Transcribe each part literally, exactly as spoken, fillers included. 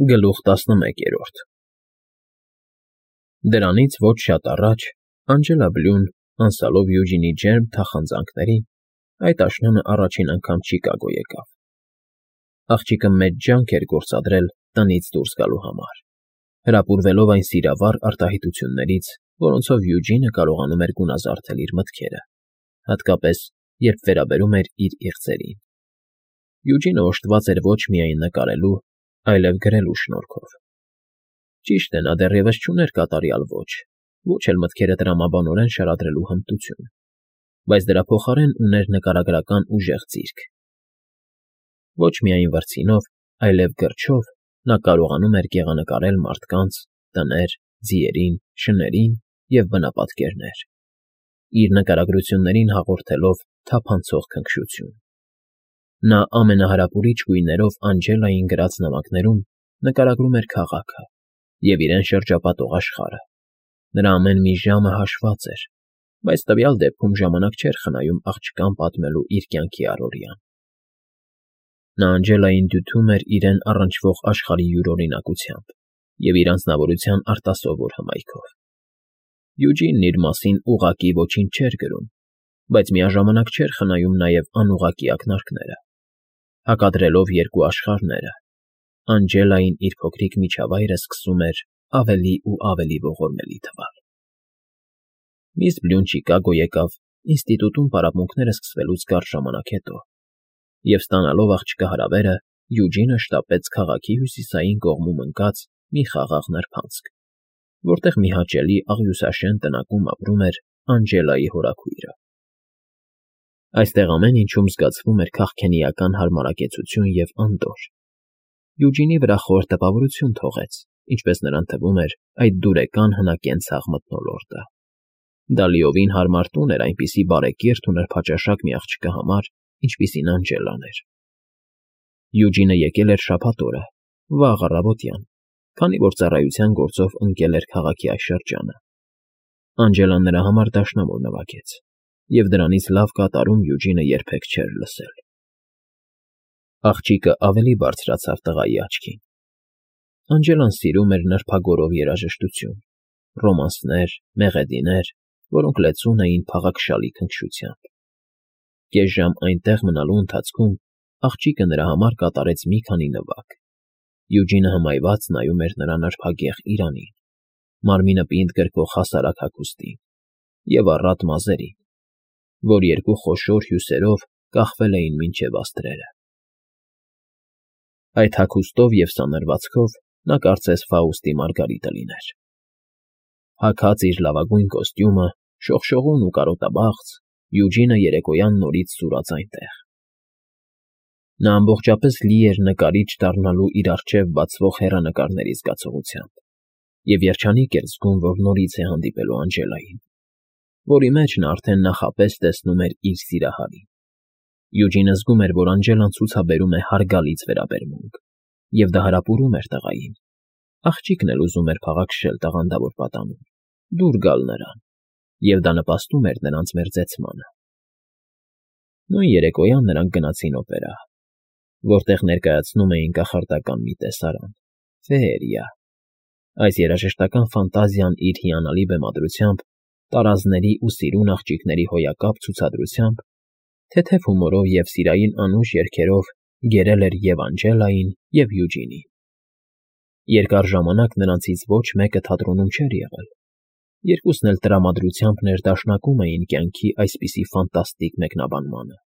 Գլուխ տասնմեկերորդ Դրանից ոչ շատ առաջ Անջելա Բլյուն, անցալով Յուջինի ջերմ թախանձանքներին, այդ աշնանը առաջին անգամ Չիկագո եկավ։ Աղջիկը մեծ ջանք էր գործադրել տնից դուրս գալու համար, հրապուրվելով այն սիրավառ արտահայտություններից, որոնցով Յուջինը կարողանում էր գունազարդել իր մտքերը, հատկապես, երբ վերաբերում էր իր իղձերին։ Յուջինը օժտված էր ոչ միայն նկարելու, այլև գրելու շնորհքով։ Ճիշտ է, նա դեռևս չուներ կատարյալ ոճ, ոչ էլ մտքերը տրամաբանորեն շարադրելու հմտություն, բայց դրա փոխարեն ուներ նկարագրական ուժեղ ձիրք։ Ոչ միայն վրձինով, այլև գրչով նա կարողանում էր գեղանկարել մարդկանց, տներ, ձիերին, շներին և բնապատկերներ, իր նկարագրություններին հաղորդելով թափանցող քնքշություն։ Նա ամենահրապուրիչ գույներով Անջելային գրած նամակներում նկարագրում էր քաղաքը և իրեն շրջապատող աշխարհը։ Նրա ամեն մի ժամը հաշված էր, բայց տվյալ դեպքում ժամանակ չէր խնայում աղջկան պատմելու իր կյանքի առօրյան։ Նա Անջելային դյութում էր իրեն առնչվող աշխարհի յուրօրինակությամբ և իր անձնավորության արտասովոր հմայքով։ Յուջինն իր մասին ուղղակի ոչինչ չէր գրում, բայց միաժամանակ չէր խնայում նաև անուղղակի ակնարկները, հակադրելով երկու աշխարհները, Անջելային իր փոքրիկ միջավայրը սկսում էր ավելի ու ավելի ողորմելի թվալ։ Միս Բլյուն Չիկագո եկավ ինստիտուտում պարապմունքները սկսվելուց կարճ ժամանակ հետո, և ստանալով աղջկա հրավերը, Յուջինը շտապեց քաղաքի հյուսիսային կողմում ընկած մի խաղաղ նրբանցք, որտեղ մի հաճելի աղյուսաշեն տնակում ապրում էր Անջելայի հորաքույրը։ Այստեղ ամեն ինչում զգացվում էր քաղքենիական հարմարակեցություն և անդորր։ Յուջինի վրա խոր տպավորություն թողեց, ինչպես նրան թվում էր, այդ դուրեկան հնակենցաղ մթնոլորտը։ Դա լիովին հարմար տուն էր այնպիսի բարեկիրթ ու նրբաճաշակ մի աղջկա համար, ինչպիսին Անջելան էր։ Յուջինը եկել էր շաբաթ օրը, վաղ առավոտյան, քանի որ ծառայության գործով ընկել էր քաղաքի այս շրջանը։ Անջելան նրա համար դաշնամուր նվագեց, և դրանից լավ կատարում Յուջինը երբեք չէր լսել։ Աղջիկը ավելի բարձրացավ տղայի աչքին։ Անջելան սիրում էր նրբագորով երաժշտություն, ռոմանսներ, մեղեդիներ, որոնք լեցուն էին փաղաքշալի քնքշությամբ։ Կես ժամ այնտեղ մնալու ընթացքում աղջիկը նրա համար կատարեց մի քանի նվագ։ Յուջինը հմայված նայում էր նրա նրբագեղ իրանին, մարմինը պինդ գրկող հասարակ հագուստին և առատ մազերին, որ երկու խոշոր հյուսերով կախվել էին մինչև աստղերը։ Այդ հագուստով և սանրվածքով նա կարծես Ֆաուստի Մարգարիտը լիներ։ Հագած իր լավագույն կոստյումը, շողշողուն ու կարոտաբաղձ, Յուջինը երեկոյան նորից սուրաց այնտեղ։ Նա ամբողջապես լի էր նկարիչ դառնալու իր առջև բացվող հեռանկարների զգացողությամբ և երջանիկ էր զգում, որ նորից է հանդիպելու Անջելային, որի մեջ նա արդեն նախապես տեսնում էր իր սիրահարին։ Յուջինը զգում էր, որ Անջելան ցուցաբերում է հարգալից վերաբերմունք, և դա հարապուրում էր տղային։ Աղջիկն էլ ուզում էր փաղաքշել տաղանդավոր պատանուն, դուր գալ նրան, և դա նպաստում էր նրանց մերձեցմանը։ Նույն երեկոյան նրանք գնացին օպերա, որտեղ ներկայացնում էին կախարդական մի տեսարան՝ ֆեերիա։ Այս երաժշտական ֆանտազիան իր հիանալի բեմադրությամբ, տարազների ու սիրուն աղջիկների հոյակապ ցուցադրությամբ, թեթև հումորով և սիրային անուշ երգերով գերել էր և Անջելային, և Յուջինին։ Երկար ժամանակ նրանցից ոչ մեկը թատրոնում չէր եղել, երկուսն էլ տրամադրությամբ ներդաշնակում էին կյանքի այսպիսի ֆանտաստիկ մեկնաբանմանը։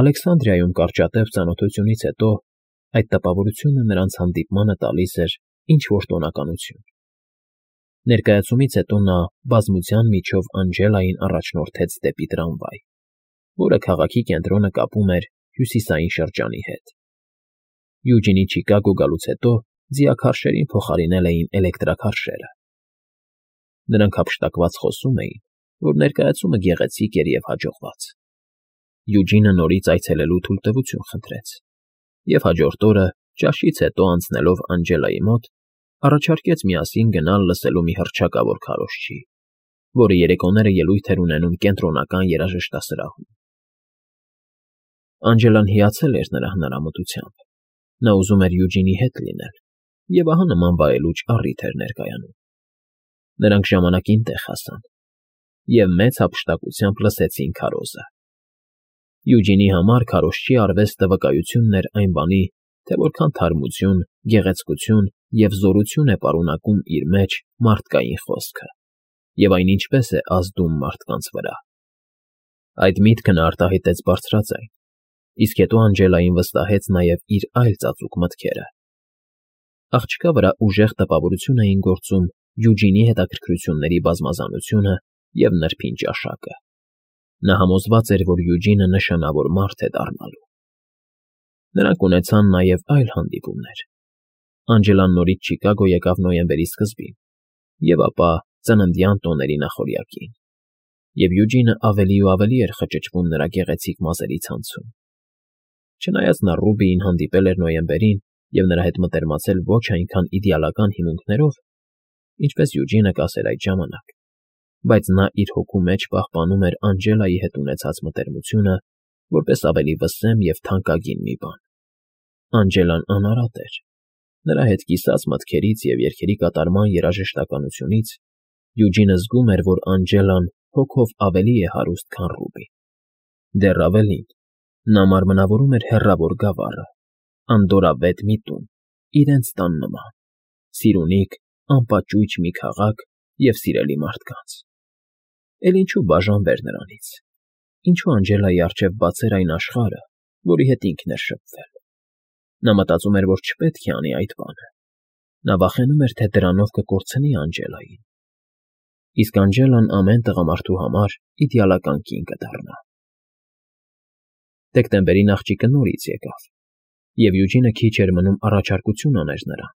Ալեքսանդրիայում կարճատև ծանոթությունից հետո այդ տպավորությունը նրանց հանդիպմանը տալիս էր ինչ֊որ տոնականություն։ Ներկայացումից հետո նա բազմության միջով Անջելային առաջնորդեց դեպի տրամվայ, որը քաղաքի կենտրոնը կապում էր հյուսիսային շրջանի հետ։ Յուջինի Չիկագո գալուց հետո ձիաքարշերին փոխարինել էին էլեկտրաքարշերը։ Նրանք հափշտակված խոսում էին, որ ներկայացումը գեղեցիկ էր և հաջողված։ Յուջինը նորից այցելելու թույլտվություն խնդրեց, և հաջորդ օրը, ճաշից հետո անցնելով Անջելայի մոտ, առաջարկեց միասին գնալ լսելու մի հռչակավոր քարոզչի, որը երեկոները ելույթ էր ունենում կենտրոնական երաժշտասրահում։ Անջելան հիացել էր նրա հնարամտությամբ Նա ուզում էր Յուջինի հետ լինել, և ահա նման վայելուչ առիթ էր ներկայանում։ Նրանք ժամանակին տեղ հասան և մեծ հափշտակությամբ լսեցին քարոզը։ Յուջինի համար քարոզչի արվեստը վկայությունն էր այն բանի, թե որքան թարմություն, գեղեցկություն և զորություն է պարունակում իր մեջ մարդկային խոսքը, և այն ինչպես է ազդում մարդկանց վրա։ Այդ միտքը նա արտահայտեց բարձրաձայն, իսկ հետո Անգելային վստահեց նաև իր այլ ծածուկ մտքերը։ Աղջկա վրա ուժեղ տպավորություն էին գործում Յուջինի հետաքրքրությունների բազմազանությունը և նրբին ճաշակը։ Նա համոզված էր, որ Յուջինը նշանավոր մարդ է դառնալու։ Նրանք ունեցան նաև այլ հանդիպումներ։ Անգելան նորից Չիկագո եկավ նոյեմբերի սկզբին, և ապա ծննդյան տոների նախօրյակին, և Յուջինը ավելի ու ավելի էր խճճվում նրա գեղեցիկ մազերի ցանցում։ Չնայած նա Ռուբիին հանդիպել էր նոյեմբերին և նրա հետ մտերմացել ոչ այնքան իդեալական հիմունքներով, ինչպես Յուջինը կասեր այդ ժամանակ, բայց նա իր հոգու մեջ պահպանում էր Անգելայի հետ ունեցած մտերմությունը որպես ավելի վսեմ և թանկագին մի բան։ Անգելան անարատ էր։ Նրա հետ կիսած մտքերից և երգերի կատարման երաժշտականությունից Յուջինը զգում էր, որ Անգելան հոգով ավելի է հարուստ, քան Ռուբին։ Դեռ ավելին, նա մարմնավորում էր հեռավոր գավառը, անդորրավետ մի տուն, իրենց տան նման, սիրունիկ, անպաճույճ մի քաղաք և սիրելի մարդկանց։ Էլ ինչու բաժանվեր նրանից։ Ինչու Անգելայի առջև բացեր այն աշխարհը, որի հետ ինքն էր շփվել։ Նա մտածում էր, որ չպետք է անի այդ բանը։ Նա վախենում էր, թե դրանով կկորցնի Անգելային։ Իսկ Անգելան ամեն տղամարդու համար իդեալական կին կդառնա։ Դեկտեմբերին աղջիկը նորից եկավ, և Յուջինը քիչ էր մնում առաջարկություն աներ նրան։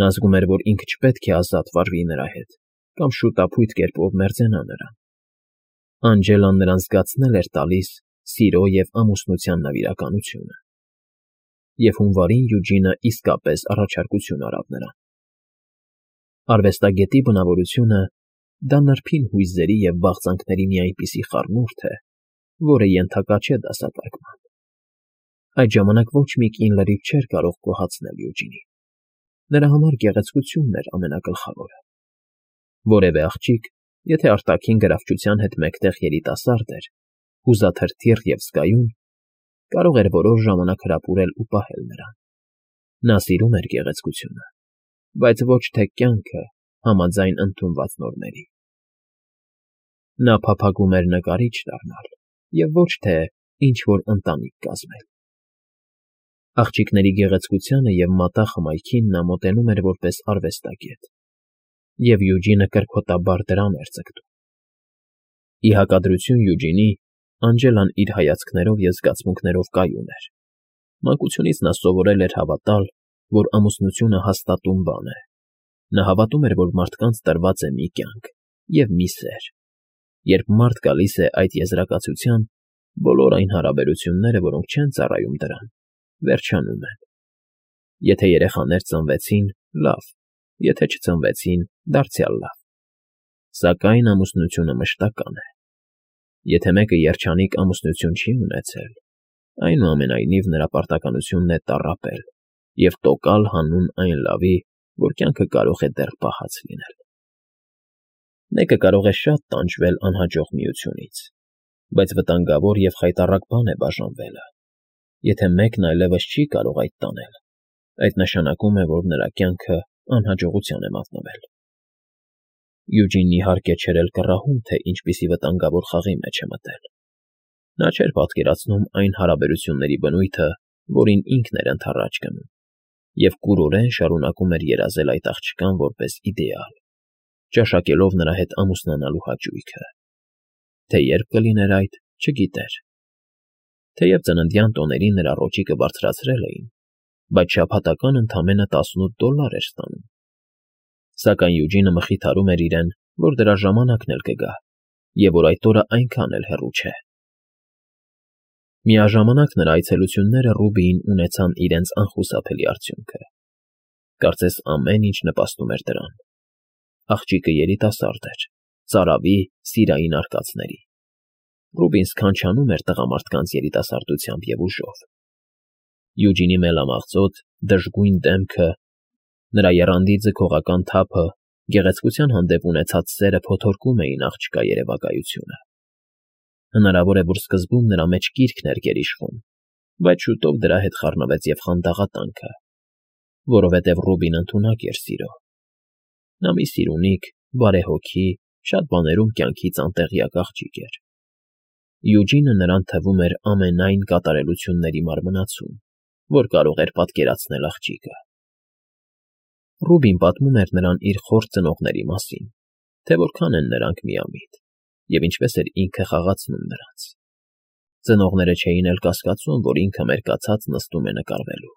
Նա զգում էր, որ ինքը չպետք է ազատ վարվի նրա հետ կամ շուտափույթ կերպով մերձենա նրան։ Անգելան նրան զգացնել էր տալիս սիրո և ամուսնության նվիրականությունը։ Եվ հունվարին Յուջինը իսկապես առաջարկություն արավ նրան։ Արվեստագետի բնավորությունը դա նրբին հույզերի և բաղձանքների մի այնպիսի խառնուրդ է, որը ենթակա չէ դասակարգման։ Այդ ժամանակ ոչ մի կին լրիվ չէր կարող գոհացնել Յուջինին։ Նրա համար գեղեցկությունն էր ամենագլխավորը։ Որևէ աղջիկ, եթե արտաքին գրավչության հետ մեկտեղ երիտասարդ էր, հուզաթրթիռ և զգայուն, կարող էր որոշ ժամանակ հրապուրել ու պահել նրան։ Նա սիրում էր գեղեցկությունը, բայց ոչ թե կյանքը համաձայն ընդունված նորմերի։ Նա փափագում էր նկարիչ դառնալ և ոչ թե ինչ֊որ ընտանիք կազմել։ Աղջիկների գեղեցկությանը և մատաղ հմայքին նա մոտենում էր որպես արվեստագետ, և Յուջինը կրքոտաբար դրան էր ձգտում։ Ի հակադրություն Յուջինի, Անգելան իր հայացքներով և զգացմունքներով կայուն էր։ Մանկությունից նա սովորել էր հավատալ, որ ամուսնությունը հաստատուն բան է։ Նա հավատում էր, որ մարդկանց տրված է մի կյանք և մի սեր։ Երբ մարդ գալիս է այդ եզրակացության, բոլոր այն հարաբերությունները, որոնք չեն ծառայում դրան, վերջանում են։ Եթե երեխաներ ծնվեցին, լավ, եթե չծնվեցին, դարձյալ լավ։ Սակայն ամուսնությունը մշտական է։ Եթե մեկը երջանիկ ամուսնություն չի ունեցել, այնուամենայնիվ նրա պարտականությունն է տառապել և տոկալ հանուն այն լավի, որ կյանքը կարող է դեռ պահած լինել։ Մեկը կարող է շատ տանջվել անհաջող միությունից, բայց վտանգավոր և խայտառակ բան է բաժանվելը։ Եթե մեկն այլևս չի կարող այդ տանել, այդ նշանակում է, որ նրա կյանքը անհաջողության է մատնվել։ Յուջինն իհարկե չէր էլ կռահում, թե ինչպիսի վտանգավոր խաղի մեջ է մտել։ Նա չէր պատկերացնում այն հարաբերությունների բնույթը, որին ինքն էր ընդառաջ գնում, և կուրորեն շարունակում էր երազել այդ աղջկան որպես իդեալ, ճաշակելով նրա հետ ամուսնանալու հաճույքը։ Թե երբ կլիներ այդ, չգիտեր։ Թեև ծննդյան տոներին նրա ռոճիկը բարձրացրել էին, բայց շաբաթական ընդամենը տասնութ դոլար էր ստանում։ Սակայն Յուջինը մխիթարում էր իրեն, որ դրա ժամանակն էլ կգա, և որ այդ օրը այնքան էլ հեռու չէ։ Միաժամանակ նրա այցելությունները Ռուբիին ունեցան իրենց անխուսափելի արդյունքը։ Կարծես ամեն ինչ նպաստում էր դրան։ Աղջիկը երիտասարդ էր, ծարավի, սիրային արկածների։ Ռուբին սքանչանում էր տղամարդկանց երիտասարդությամբ և ուժով։ Յուջինի մելամաղձոտ, դժգույն դեմքը, նրա եռանդի ձգողական թափը, գեղեցկության հանդեպ ունեցած սերը փոթորկում էին աղջկա երևակայությունը։ Հնարավոր է, որ սկզբում նրա մեջ կիրքն էր գերիշխում, բայց շուտով դրա հետ խառնվեց և խանդաղատանքը, որովհետև Ռուբին ընդունակ էր սիրո։ Նա մի սիրունիկ, բարեհոգի, շատ բաներում կյանքից անտեղյակ աղջիկ էր։ Յուջինը նրան թվում էր ամենայն կատարելությունների մարմնացում, որ կարող էր պատկերացնել աղջիկը։ Ռուբին պատմում էր նրան իր խորթ ծնողների մասին, թե որքան են նրանք միամիտ, և ինչպես էր ինքը խաղացնում նրանց։ Ծնողները չէին էլ կասկածում, որ ինքը մերկացած նստում է նկարվելու։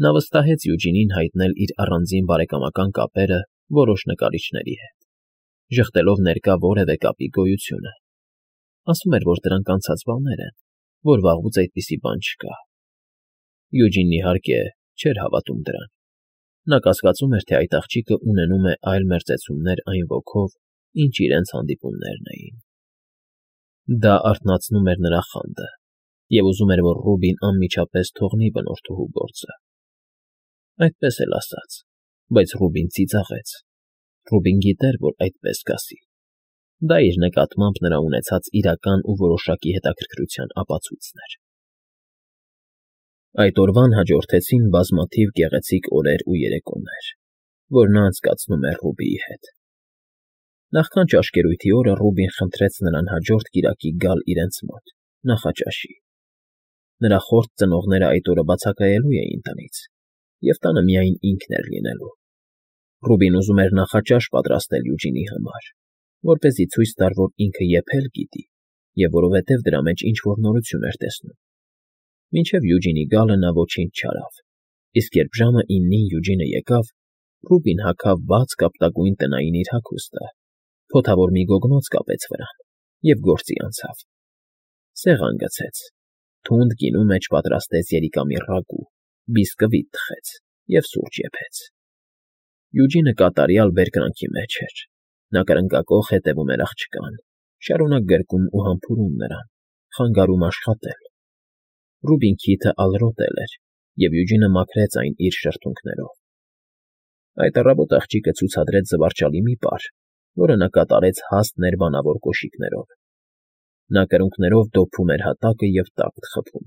Նա վստահեց Յուջինին հայտնել իր առանձին բարեկամական կապերը որոշ նկարիչների հետ, ժխտելով ներկա որևէ կապի գոյությունը։ Ասում էր, որ դրանք անցած բաներ են, որ վաղուց այդպիսի բան չկա։ Յուջինն, իհարկե, չէր հավատում դրան։ Նա կասկածում էր, թե այդ աղջիկը ունենում է այլ մերձեցումներ այն ոգով, ինչ իրենց հանդիպումներն էին։ Դա արթնացնում էր նրա խանդը, և ուզում էր, որ Ռուբին անմիջապես թողնի բնորդուհու գործը։ Այդպես էլ ասաց, բայց Ռուբին ծիծաղեց։ Ռուբին գիտեր, որ այդպես կասի։ Դա իր նկատմամբ նրա ունեցած իրական ու որոշակի հետաքրքրության ապացույցն էր։ Այդ օրվան հաջորդեցին բազմաթիվ գեղեցիկ օրեր ու երեկոներ, որ նա անցկացնում էր Ռուբիի հետ։ Նախքան ճաշկերույթի օրը Ռուբին խնդրեց նրան հաջորդ կիրակի գալ իրենց մոտ, նախաճաշի։ Նրա խորթ ծնողները այդ օրը բացակայելու էին տնից, և տանը միայն ինքն էր լինելու։ Ռուբին ուզում էր նախաճաշ պատրաստել Յուջինի համար, որպեսզի ցույց տար, որ ինքը եփել գիտի, և որովհետև դրա մեջ ինչ֊որ նորություն էր տեսնում։ Մինչև Յուջինի գալը նա ոչինչ չարավ, իսկ երբ ժամը իննին Յուջինը եկավ, Ռուբին հագավ բաց կապտագույն տնային իր հագուստը, փոթավոր մի գոգնոց կապեց վրան և գործի անցավ։ Սեղան գցեց, թունդ գինու մեջ պատրաստեց երիկամի ռագու, բիսկվիտ թխեց և սուրճ եփեց։ Յուջինը կատարյալ բերկրանքի մեջ էր։ Նա կրնկակոխ հետևում էր աղջկան, շարունակ գրկում ու համբուրում նրան, խանգարում աշխատել։ Ռուբին քիթը ալրոտել էր, և Յուջինը մաքրեց այն իր շրթունքներով։ Այդ առավոտ աղջիկը ցուցադրեց զվարճալի մի պար, որը նա կատարեց հաստ ներբանավոր կոշիկներով։ Նա կրունկներով դոփում էր հատակը և տակտ խփում։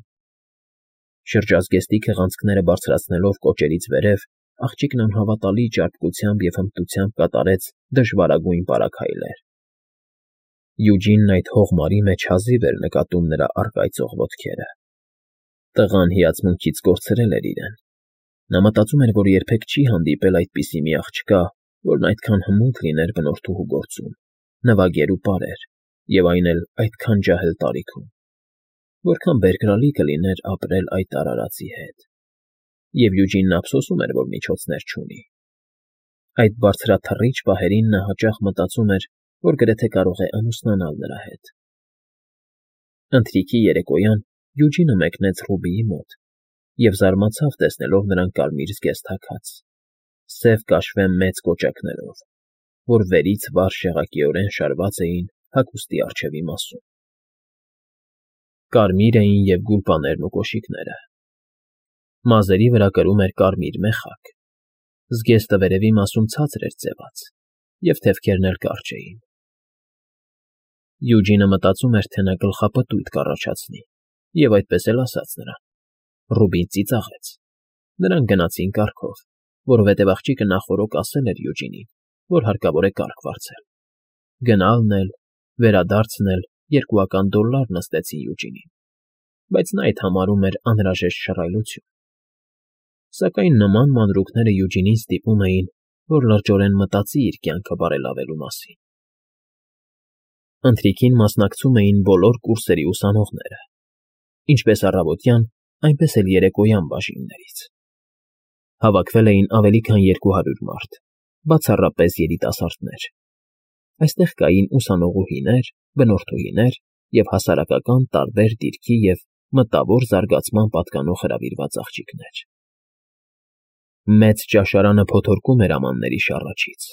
Շրջազգեստի քղանցքները բարձրացնելով կոճերից վերև, աղջիկն անհավատալի ճարպկությամբ և հմտությամբ կատարեց դժվարագույն պարագայլեր։ Յուջինն այդ հողմարի մեջ հազիվ էր նկատում նրա առկայծող ոտքերը։ Տղան հիացմունքից կորցրել էր իրեն։ Նա մտածում էր, որ երբեք չի հանդիպել այդպիսի մի աղջկա, որն այդքան հմուտ լիներ բնորդուհու գործում, նվագեր ու պարեր, և այն էլ այդքան ջահել տարիքում։ Որքան բերկրալի կլիներ ապրել այդ արարածի հետ։ Եվ Յուջինն ափսոսում էր, որ միջոցներ չունի։ Այդ բարձրաթռիչ պահերին նա հաճախ մտածում էր, որ գրեթե կարող է ամուսնանալ նրա հետ։ Ընթրիքի երեկոյան Յուջինը մեկնեց Ռուբիի մոտ և զարմացավ տեսնելով նրան կարմիր զգեստ հագած, սև կաշվե մեծ կոճակներով, որ վերից վար շեղակիորեն շարված էին հագուստի առջևի մասում։ Կարմիր էին և գուլպաներն ու կոշիկները։ Մազերի վրա կրում էր կարմիր մեխակ, զգեստը վերևի մասում ցածր էր ձևած, և թևքերն էլ կարճ էին։ Յուջինը մտածում էր, թե նա գլխապտույտ կառաջացնի, և այդպես էլ ասաց նրան։ Ռուբին ծիծաղեց։ Նրանք գնացին կառքով, որովհետև աղջիկը նախօրոք ասել էր Յուջինին, որ հարկավոր է կառք վարձել։ Գնալն էլ, վերադարձն էլ երկուական դոլլար նստեցին Յուջինին, բայց նա այդ համարում էր անհրաժեշտ շռայլություն։ Սակայն նման մանրուքները Յուջինին ստիպում էին, որ լրջորեն մտածի իր կյանքը բարելավելու մասին։ Ընթրիքին մասնակցում էին բոլոր կուրսերի ուսանողները, ինչպես առավոտյան, այնպես էլ երեկոյան բաժիններից։ Հավաքվել էին ավելի քան երկու հարյուր մարդ, բացառապես երիտասարդներ։ Այստեղ կային ուսանողուհիներ, բնորդուհիներ և հասարակական տարբեր դիրքի և մտավոր զարգացման պատկանող հրավիրված աղջիկներ։ Մեծ ճաշարանը փոթորկում էր ամանների շառաչից,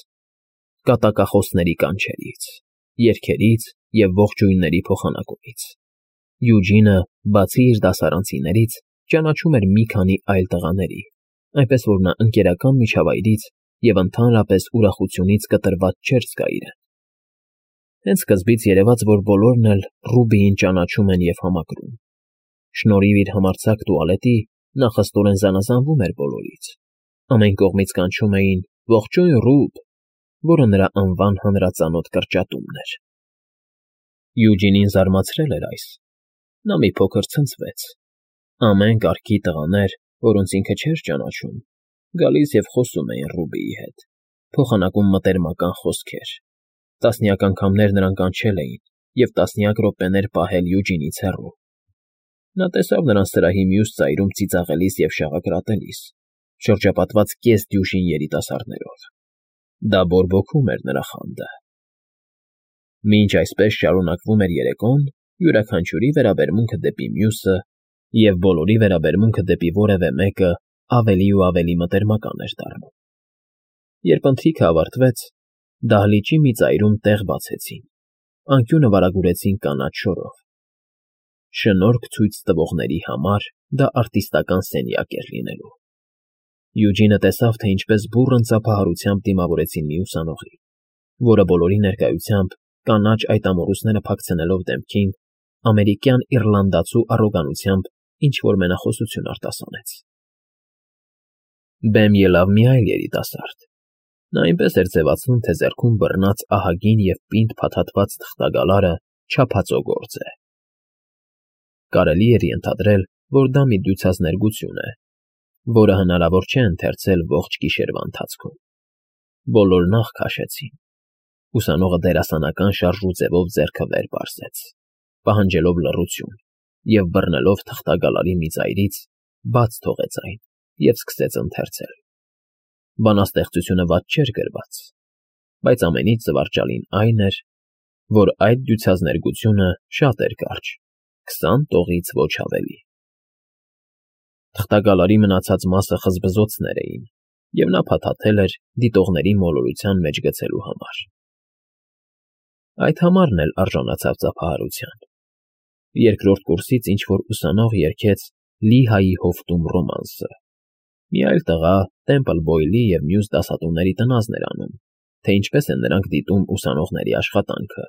կատակախոսների կանչերից, երգերից և ողջույնների փոխանակումից։ Յուջինը, բացի իր դասարանցիներից, ճանաչում էր մի քանի այլ տղաների, այնպես որ նա ընկերական միջավայրից և ընդհանրապես ուրախությունից կտրված չէր զգա իրեն։ Հենց սկզբից երևաց, որ բոլորն էլ Ռուբիին ճանաչում են և համակրում։ Շնորհիվ իր համարձակ տուալետի նա խստորեն զանազանվում էր բոլորից։ Ամեն կողմից կանչում էին «Ողջույն, Ռուբ», որը նրա անվան հանրածանոթ կրճատումն էր։ Յուջինին զարմացրել էր այս։ Նա մի փոքր ցնցվեց։ Ամեն կարգի տղաներ, որոնց ինքը չէր ճանաչում, գալիս և խոսում էին Ռուբիի հետ, փոխանակում մտերմական խոսքեր։ Տասնյակ անգամներ նրան կանչել էին և տասնյակ րոպեներ պահել Յուջինից հեռու։ Նա տեսավ նրան սրահի մյուս ծայրում ծիծաղելիս և շաղակրատելիս, շրջապատված կես֊դյուժին երիտասարդներով։ Դա բորբոքում էր նրա խանդը։ Մինչ այսպես շարունակվում էր երեկոն, յուրաքանչյուրի վերաբերմունքը դեպի մյուսը և բոլորի վերաբերմունքը դեպի որևէ մեկը ավելի ու ավելի մտերմական էր դառնում։ Երբ ընթրիքը ավարտվեց, դահլիճի մի ծայրում տեղ բացեցին, անկյունը վարագուրեցին կանաչ շորով։ Շնորհք ցույց տվողների համար դա արտիստական սենյակ էր լինելու։ Յուջինը տեսավ, թե ինչպես բուռն ծափահարությամբ դիմավորեցին մի ուսանողի, որը բոլորի ներկայությամբ կանաչ այդ ամոռուսները փակցնելով դեմքին, ամերիկյան իռլանդացու առոգանությամբ ինչ֊որ մենախոսություն արտասանեց։ Բեմ ելավ մի այլ երիտասարդ։ Նա այնպես էր ձևացնում, թե ձեռքում բռնած ահագին և պինդ փաթաթված թղթագալարը չափածո գործ է։ Կարելի էր ենթադրել, որ դա մի դյուցազներգություն է, որը հնարավոր չէ ընթերցել ողջ գիշերվա ընթացքում։ Բոլորն աղ քաշեցին։ Ուսանողը դերասանական շարժու ձևով ձեռքը վեր պարզեց, պահանջելով լռություն, և բռնելով թղթագալարի մի ծայրից, բաց թողեց այն և սկսեց ընթերցել։ Բանաստեղծությունը վատ չէր գրված, բայց ամենից զվարճալին այն էր, որ այդ դյուցազներգությունը շատ էր կարճ, քսան տողից ոչ ավելի։ Թղթագալարի մնացած մասը խզբզոցներ էին, և նա փաթաթել էր դիտողների մոլորության մեջ գցելու համար։ Այդ համարն էլ արժանացավ ծափահարության։ Երկրորդ կուրսից ինչ֊որ ուսանող երգեց Լիհայի հովտում ռոմանսը։ Մի այլ տղա Տեմպլ Բոյլի և մյուս դասատուների տնազն էր անում, թե ինչպես են նրանք դիտում ուսանողների աշխատանքը,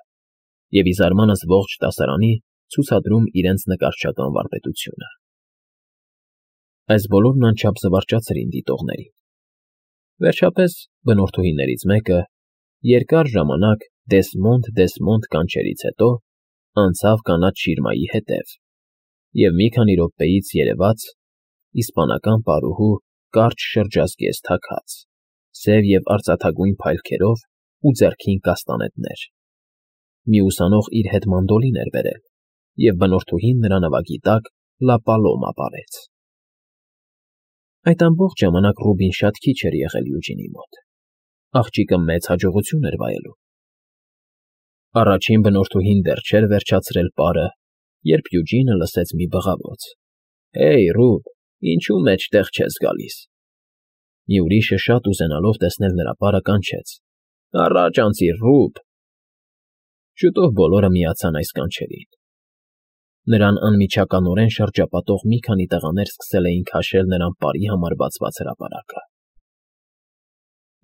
և ի զարմանս ողջ դասարանի ցուցադրում իրենց նկարչական վարպետությունը։ Այս բոլորն անչափ զվարճացրին դիտողներին։ Վերջապես բնորդուհիներից մեկը, երկար ժամանակ Դեսմոնդ, Դեսմոնդ կանչելուց հետո, անցավ կանաչ շիրմայի հետև և մի քանի րոպեից երևաց իսպանական պարուհու կարճ շրջազգեստ հագած, սև և արծաթագույն փայլքերով ու ձեռքին կաստանետներ։ Մի ուսանող իր հետ մանդոլին էր բերել, և բնորդուհին նրա նվագի տակ Լա Պալոմա պարեց։ Այդ ամբողջ ժամանակ Ռուբին շատ քիչ էր եղել Յուջինի մոտ։ Աղջիկը մեծ հաջողություն էր վայելում։ Առաջին բնորդուհին դեռ չէր վերջացրել պարը, երբ Յուջինը լսեց մի բղավոց. «Հեյ, Ռուբ, ինչու մեջտեղ չես գալիս»։ Մի ուրիշը շատ ուզենալով տեսնել նրա պարը կանչեց. «Առաջ անցիր, Ռուբ»։ Շուտով բոլորը միացան այս կանչերին։ Նրան անմիջականորեն շրջապատող մի քանի տղաներ սկսել էին քաշել նրան պարի համար բացված հրապարակը։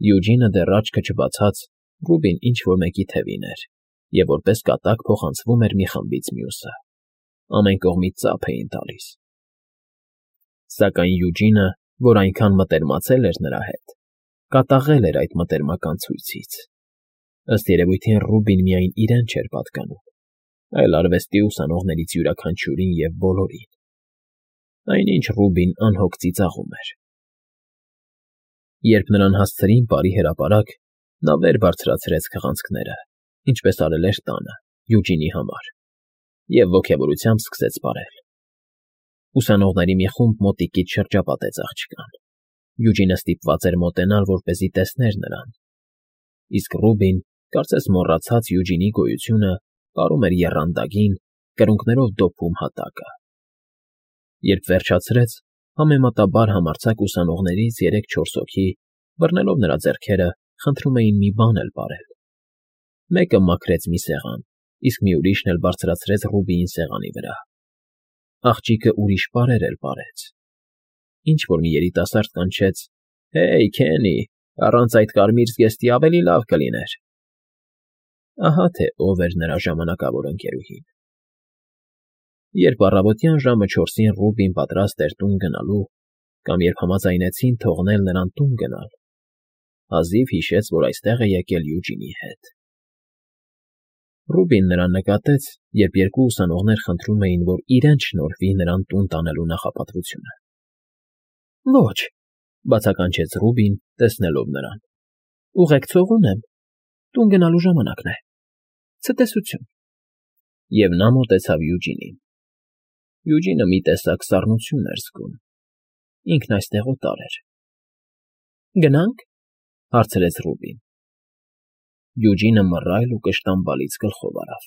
Յուջինը դեռ աչքը չբացած Ռուբին ինչ֊որ մեկի թևին էր և որպես կատակ փոխանցվում էր մի խմբից մյուսը։ Ամեն կողմից ծափ էին տալիս։ Սակայն Յուջինը, որ այնքան մտերմացել էր նրա հետ, կատաղել էր այդ մտերմական ցույցից։ Ըստ երևույթին Ռուբին միայն իրեն չէր պատկանում, այլ արվեստի ուսանողներից յուրաքանչյուրին և բոլորին։ Այնինչ Ռուբին անհոգ ծիծաղում էր։ Երբ նրան հասցրին պարի հրապարակ, նա վեր բարձրացրեց քղանցքները, ինչպես արել էր տանը, Յուջինի համար, և ոգևորությամբ սկսեց պարել։ Ուսանողների մի խումբ մոտիկից շրջապատեց աղջկան։ Յուջինը ստիպված էր մոտենալ, որպեսզի տեսներ նրան, իսկ Ռուբին, կարծես մոռացած Յուջինի գոյությունը, պարում էր եռանդագին, կրունկներով դոփում հատակը։ Երբ վերջացրեց, համեմատաբար համարձակ ուսանողներից երեք֊չորս հոգի, բռնելով նրա ձեռքերը, խնդրում էին մի բան էլ պարել։ Մեկը մաքրեց մի սեղան, իսկ մի ուրիշն էլ բարձրացրեց Ռուբիին սեղանի վրա։ Աղջիկը ուրիշ պարեր էլ պարեց։ Ինչ֊որ մի երիտասարդ կանչեց. «Հեյ, Քենի, առանց այդ կարմիր զգեստի ավելի լավ կլիներ»։ Ահա թե ով էր նրա ժամանակավոր ընկերուհին։ Երբ առավոտյան ժամը չորսին Ռուբին պատրաստ էր տուն գնալու, կամ երբ համաձայնեցին թողնել նրան տուն գնալ, հազիվ հիշեց, որ այստեղ է եկել Յուջինի հետ։ Ռուբին նրան նկատեց, երբ երկու ուսանողներ խնդրում էին, որ իրենց շնորհվի նրան տուն տանելու նախապատվությունը։ Ոչ, բացականչեց Ռուբին, տեսնելով նրան։ Ուղեկցող ունեմ, տուն գնալու ժամանակն է։ Ցտեսություն։ Եվ նա մոտեցավ Յուջինին։ Յուջինը մի տեսակ սառնություն էր զգում։ Ինքն այստեղ օտար էր։ Գնա՞նք, հարցրեց Ռուբին։ Յուջինը մռայլ ու կշտամբալից գլխով արավ։